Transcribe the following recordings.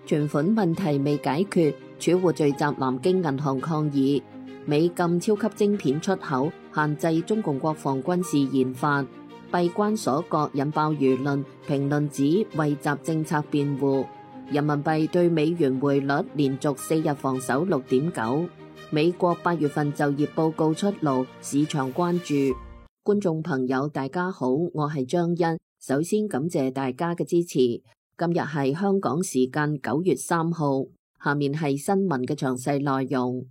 存款問題未解決，儲戶聚集南京銀行抗議。美禁超級晶片出口，限制中共國防軍事研發。閉關鎖國引爆輿論，評論指為習政策辯護。人民幣對美元匯率連續4日防守6.9。美國8月份就業報告出爐，市場關注。觀眾朋友大家好，我係張欣，首先感謝大家嘅支持。今日係香港時間9月3號，下面係新聞嘅詳細內容。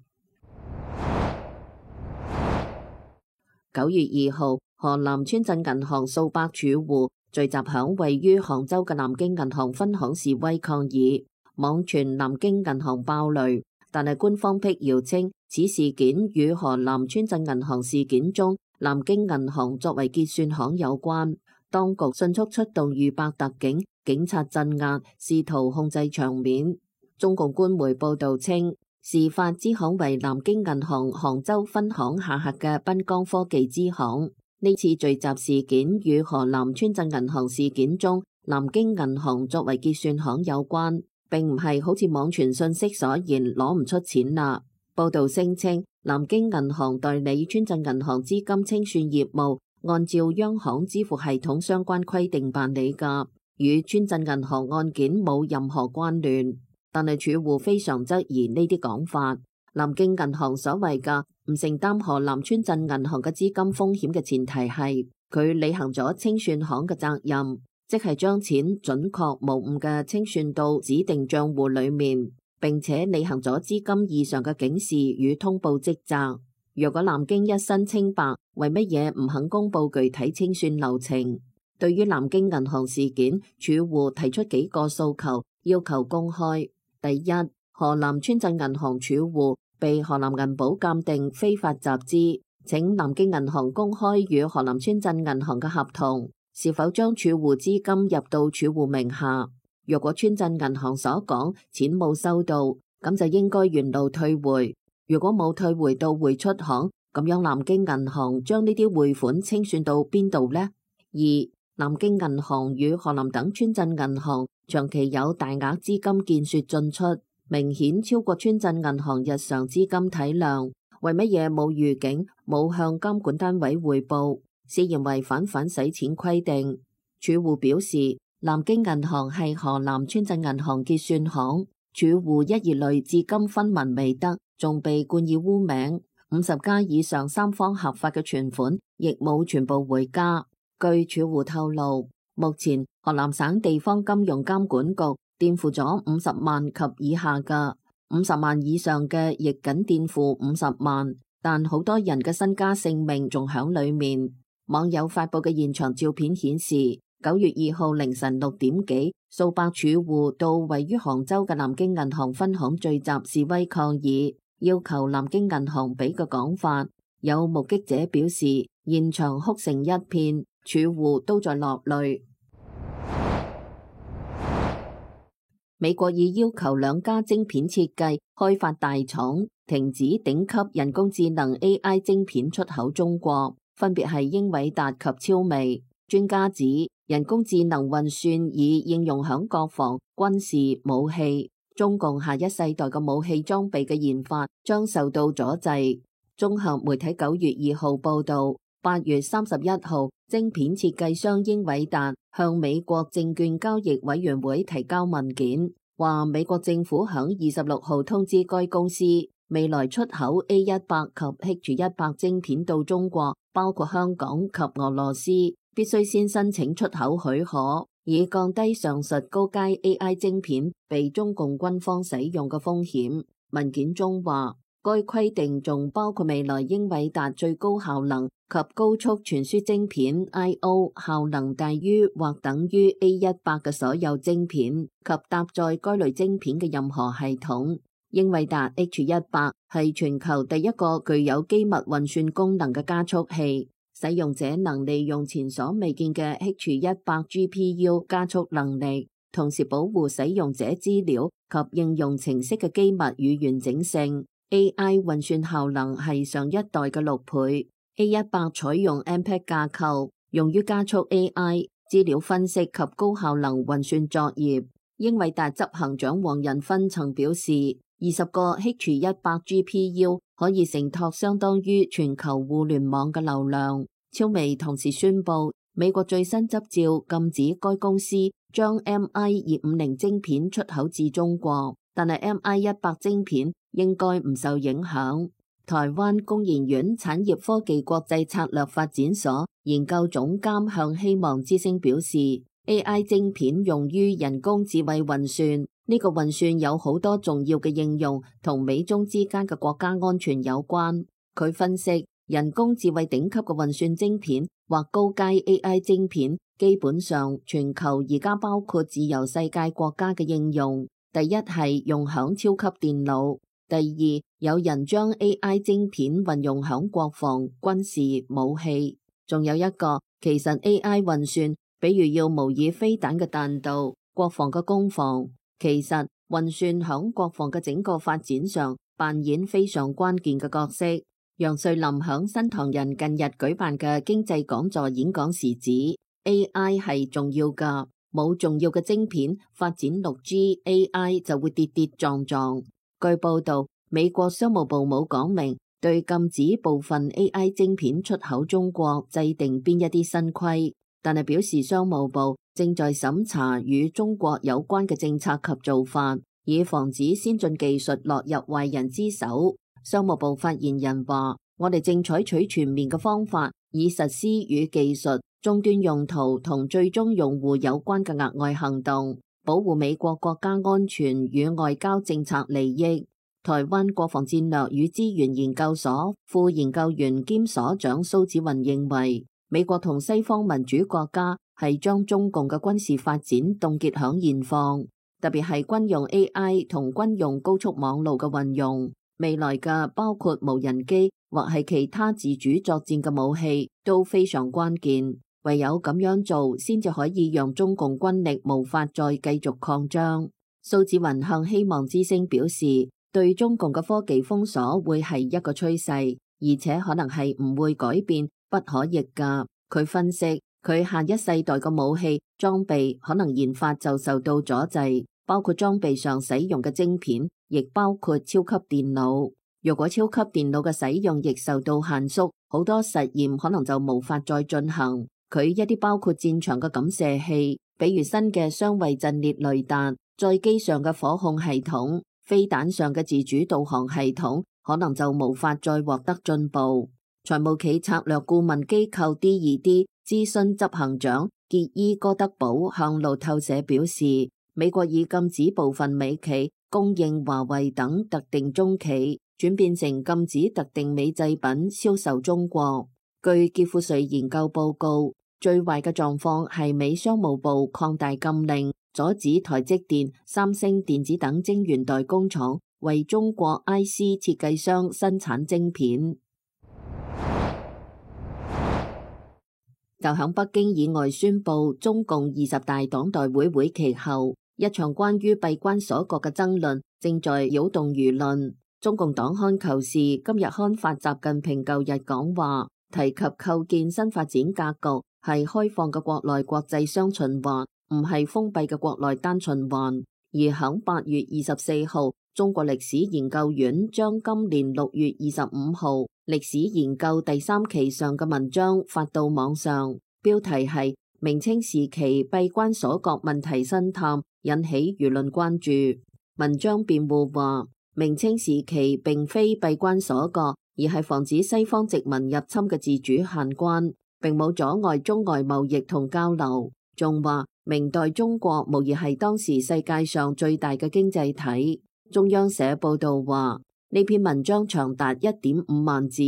9月2號，河南村鎮銀行數百儲戶聚集響位於杭州嘅南京銀行分行示威抗議，網傳南京銀行爆雷，但係官方辟謠稱此事件與河南村鎮銀行事件中南京銀行作為結算行有關。當局迅速出動逾百特警、警察鎮壓，試圖控制場面。中共官媒報道稱，事發支行為南京銀行杭州分行下轄嘅濱江科技支行。呢次聚集事件與河南村鎮銀行事件中南京銀行作為結算行有關，並唔係好似網傳信息所言攞唔出錢啦。報道聲稱，南京銀行代理村鎮銀行資金清算業務，按照央行支付系統相關規定辦理㗎，與村鎮銀行案件冇任何關聯。但係儲戶非常質疑呢啲講法。南京銀行所謂嘅唔承擔河南村鎮銀行嘅資金風險嘅前提係佢履行咗清算行嘅責任，即係將錢準確無誤嘅清算到指定賬戶裏面，並且履行咗資金異常嘅警示與通報職責。若果南京一身清白，為乜嘢唔肯公布具體清算流程？對於南京銀行事件，儲戶提出幾個訴求，要求公開。第一，河南村鎮銀行儲戶被河南銀保鑑定非法集資，請南京銀行公開與河南村鎮銀行嘅合同，是否將儲戶資金入到儲戶名下？若果村鎮銀行所講錢冇收到，咁就應該原路退回。如果冇退回到匯出行，咁樣南京銀行將呢啲匯款清算到邊度呢？二，南京銀行與河南等村鎮銀行長期有大額資金見說進出，明顯超過村鎮銀行日常資金體量，為乜嘢冇預警，冇向監管單位匯報，涉嫌違反反洗錢規定？儲戶表示，南京銀行係河南村鎮銀行結算行，儲戶一二類至今分文未得，仲被冠以污名。50家以上三方合法嘅存款亦冇全部回家。據儲戶透露，目前河南省地方金融監管局墊付咗50萬及以下嘅，50萬以上嘅亦僅墊付50萬，但好多人嘅身家性命仲響裏面。網友發佈嘅現場照片顯示，9月2號凌晨6點幾，數百儲戶到位於杭州嘅南京銀行分行聚集示威抗議，要求南京銀行俾個講法。有目擊者表示，現場哭成一片，儲戶都在落淚。美國已要求2家晶片設計開發大廠停止頂級人工智能 AI 晶片出口中國，分別係英偉達及超微。專家指，人工智能運算已應用響國防、軍事、武器，中共下一世代嘅武器裝備嘅研發將受到阻滯。綜合媒體9月2號報道，8月31號，晶片設計商英偉達向美國證券交易委員會提交文件，話美國政府響26號通知該公司，未來出口 A100 及 H100 晶片到中國，包括香港及俄羅斯，必須先申請出口許可，以降低上述高階 AI 晶片被中共軍方使用嘅風險。文件中話，該規定仲包括未來英偉達最高效能及高速傳輸晶片 I/O 效能大於或等於 A100 嘅所有晶片及搭載該類晶片嘅任何系統。英偉達 H100 係全球第一個具有機密運算功能嘅加速器，使用者能利用前所未見嘅 H100 GPU 加速能力，同時保護使用者資料及應用程式嘅機密與完整性。AI 運算效能係上一代嘅6倍。A100 採用 MPEG 架構，用於加速 AI 資料分析及高效能運算作業。英偉達執行長黃仁勳曾表示，20個 H100 GPU 可以承托相當於全球互聯網嘅流量。超微同時宣布，美國最新執照禁止該公司將 MI250晶片出口至中國，但係 MI100晶片應該唔受影響。台灣工研院產業科技國際策略發展所研究總監向希望之聲表示， AI 晶片用於人工智慧運算，呢個運算有好多重要嘅應用，同美中之間嘅國家安全有關。佢分析，人工智慧頂級嘅運算晶片或高階 AI 晶片，基本上全球而家包括自由世界國家嘅應用。第一係用響超級電腦，第二有人將 AI 晶片運用響國防、軍事、武器，仲有一個其實 AI 運算，比如要模擬飛彈嘅彈道、國防嘅攻防，其實運算響國防嘅整個發展上扮演非常關鍵嘅角色。楊瑞林響新唐人近日舉辦嘅經濟講座演講時指 AI 係重要㗎，冇重要嘅晶片發展 6G AI 就會跌跌撞撞。據報道，美國商務部冇講明對禁止部分 AI 晶片出口中國制定邊一啲新規，但係表示商務部正在審查與中國有關嘅政策及做法，以防止先進技術落入壞人之手。商務部發言人話：我哋正採取全面嘅方法，以實施與技術、終端用途同最終用戶有關嘅額外行動，保護美國國家安全與外交政策利益。台灣國防戰略與資源研究所副研究員兼所長蘇紫雲認為，美國同西方民主國家係將中共嘅軍事發展凍結響現況，特別係軍用 AI 同軍用高速網路嘅運用。未來嘅包括無人機或係其他自主作戰嘅武器都非常關鍵，唯有咁樣做先至可以讓中共軍力無法再繼續擴張。蘇紫雲向希望之聲表示，對中共嘅科技封鎖會係一個趨勢，而且可能係唔會改變、不可逆㗎。佢分析，佢下一世代嘅武器裝備可能研發就受到阻滯，包括裝備上使用嘅晶片，亦包括超級電腦。如果超級電腦嘅使用亦受到限縮，好多實驗可能就無法再進行。佢一啲包括戰場嘅感射器，比如新嘅雙位陣列雷達、載機上嘅火控系統、飛彈上嘅自主導航系統，可能就無法再獲得進步。財務企策略顧問機構 D2D 諮詢執行長傑伊哥德堡向路透社表示，美國已禁止部分美企供應華為等特定中企，轉變成禁止特定美製品銷售中國。據傑富瑞研究報告，最壞嘅狀況係美商務部擴大禁令，阻止台積電、三星電子等晶圓代工廠為中國 IC 設計商生產晶片。就響北京以外宣布中共20大黨代會會期後，一場關於閉關鎖國嘅爭論正在擾動輿論。中共黨刊《求是》今日刊發習近平舊日講話，提及構建新發展格局係開放嘅國內國際雙循環，唔係封閉嘅國內單循環。而響8月24號，中國歷史研究院將今年6月25號歷史研究第3期上嘅文章發到網上，標題係《明清時期閉關鎖國問題新探》，引起輿論關注。文章辯護話，明清時期並非閉關鎖國，而係防止西方殖民入侵嘅自主限關，並冇阻礙中外貿易同交流。仲話明代中國無疑係當時世界上最大嘅經濟體。中央社報道話，呢篇文章長達1.5萬字，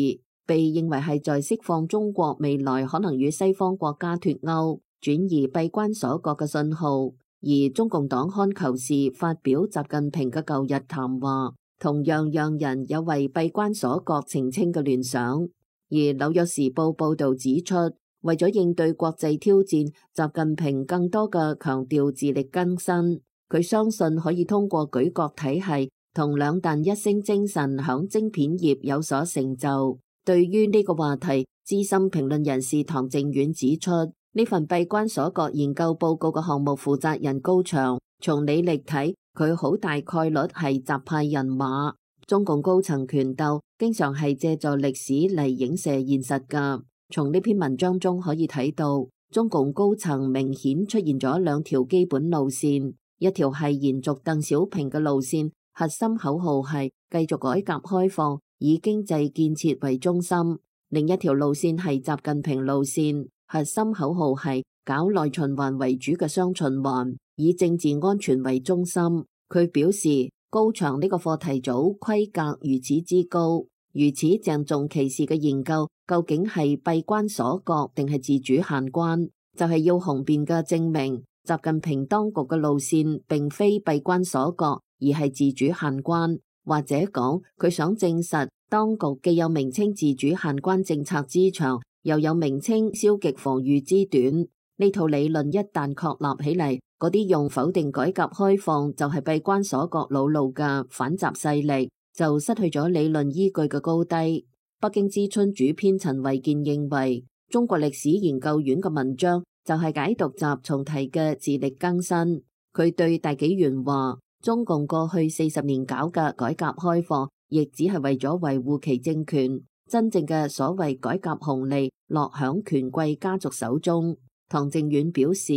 被認為係在釋放中國未來可能與西方國家脫鈎、轉移閉關鎖國嘅信號。而中共黨刊求是發表習近平嘅舊日談話，同樣讓人有為閉關鎖國澄清嘅聯想。而紐約時報報道指出，為咗應對國際挑戰，習近平更多嘅強調自力更生。佢相信可以通過舉國體系同兩彈一星精神響晶片業有所成就。對於呢個話題，資深評論人士唐靖遠指出，呢份閉關鎖國研究報告嘅項目負責人高翔從履歷睇，佢好大概率係習派人馬。中共高層權鬥經常係借助歷史嚟影射現實㗎。從呢篇文章中可以睇到，中共高層明顯出現咗兩條基本路線，一條係延續鄧小平嘅路線，核心口號係繼續改革開放，以經濟建設為中心；另一條路線係習近平路線，核心口號係搞內循環為主嘅雙循環，以政治安全為中心。佢表示，高牆呢個課題組規格如此之高，如此鄭重其事嘅研究，究竟係閉關鎖國定係自主限關？就係要雄辯嘅證明，習近平當局嘅路線並非閉關鎖國，而係自主限關，或者講佢想證實當局既有名稱自主限關政策之長，又有名稱消極防禦之短。呢套理論一旦確立起嚟，嗰啲用否定改革開放就係閉關鎖國老路嘅反習勢力，就失去咗理論依據嘅高低。北京之春主編陳維健認為，中國歷史研究院嘅文章就係解讀習重提嘅自力更新。佢對大紀元話，中共過去40年搞嘅改革開放，亦只係為咗維護其政權，真正嘅所謂改革紅利落響權貴家族手中。唐靖遠表示，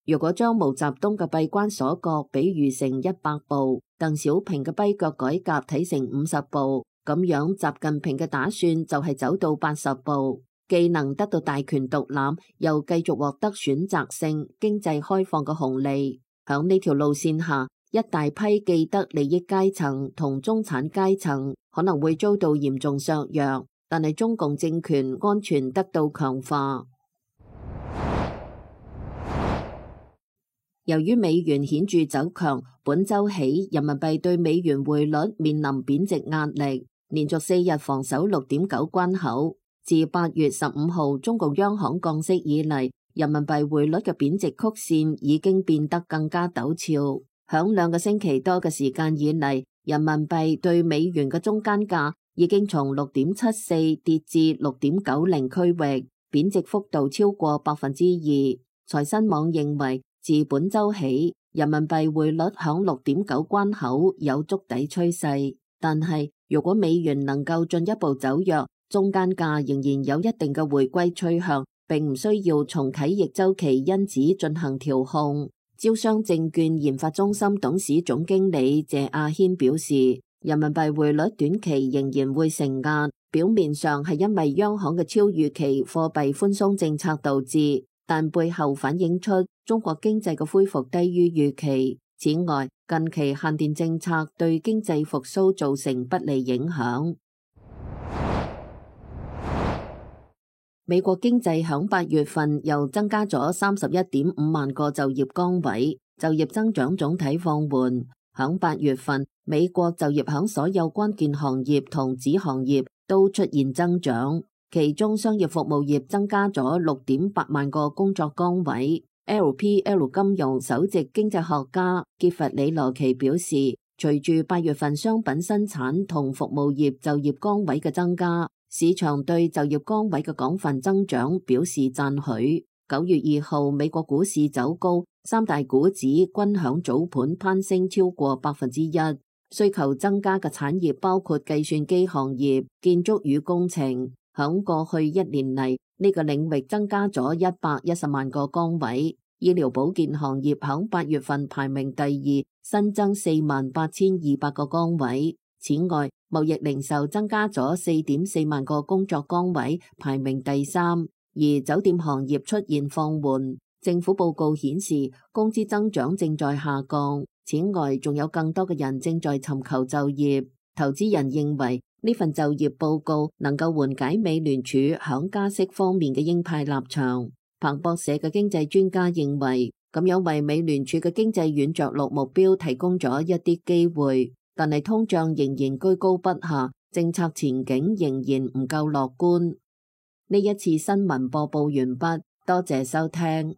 如果將毛澤東嘅閉關鎖國比喻成100步，鄧小平嘅跛腳改革睇成50步，咁樣習近平嘅打算就係走到80步，既能得到大權獨攬，又繼續獲得選擇性經濟開放嘅紅利。響呢條路線下，一大批既得利益階層同中產階層可能會遭到嚴重削弱，但係中共政權安全得到強化。由於美元顯著走強，本週起人民幣對美元匯率面臨貶值壓力，連續4日防守6.9關口。自8月15號中共央行降息以嚟，人民幣匯率嘅貶值曲線已經變得更加陡峭。響2個星期多嘅時間以嚟，人民幣對美元嘅中間價已經從6.74跌至6.90區域，貶值幅度超過2%。財新網認為，自本週起，人民幣匯率響6.9關口有築底趨勢，但係如果美元能夠進一步走弱，中間價仍然有一定嘅回歸趨向，並唔需要重啟逆周期因子進行調控。招商證券研發中心董事總經理謝亞軒表示，人民幣匯率短期仍然會承壓，表面上係因為央行嘅超預期貨幣寬鬆政策導致，但背後反映出中國經濟嘅恢復低於預期。此外，近期限電政策對經濟復甦造成不利影響。美國經濟響8月份又增加咗31.5萬個就業崗位，就業增長總體放緩。響8月份，美國就業響所有關鍵行業同子行業都出現增長，其中商業服務業增加咗6.8萬個工作崗位。LPL 金融首席經濟學家傑弗里羅奇表示，隨住8月份商品生產同服務業就業崗位嘅增加，市場對就業崗位嘅廣泛增長表示讚許。9月2號，美國股市走高，三大股指均響早盤攀升超過1%。需求增加嘅產業包括計算機行業、建築與工程。響過去1年嚟，呢個領域增加咗110萬個崗位。醫療保健行業響8月份排名第2，新增48,200個崗位。此外，貿易零售增加咗4.4萬個工作崗位，排名第3。而酒店行業出現放緩。政府報告顯示，工資增長正在下降。此外，仲有更多嘅人正在尋求就業。投資人認為呢份就業報告能夠緩解美聯儲響加息方面嘅鷹派立場。彭博社嘅經濟專家認為，咁樣為美聯儲嘅經濟軟着陸目標提供咗一啲機會，但係通脹仍然居高不下，政策前景仍然唔夠樂觀。呢一次新聞播報完畢，多謝收聽。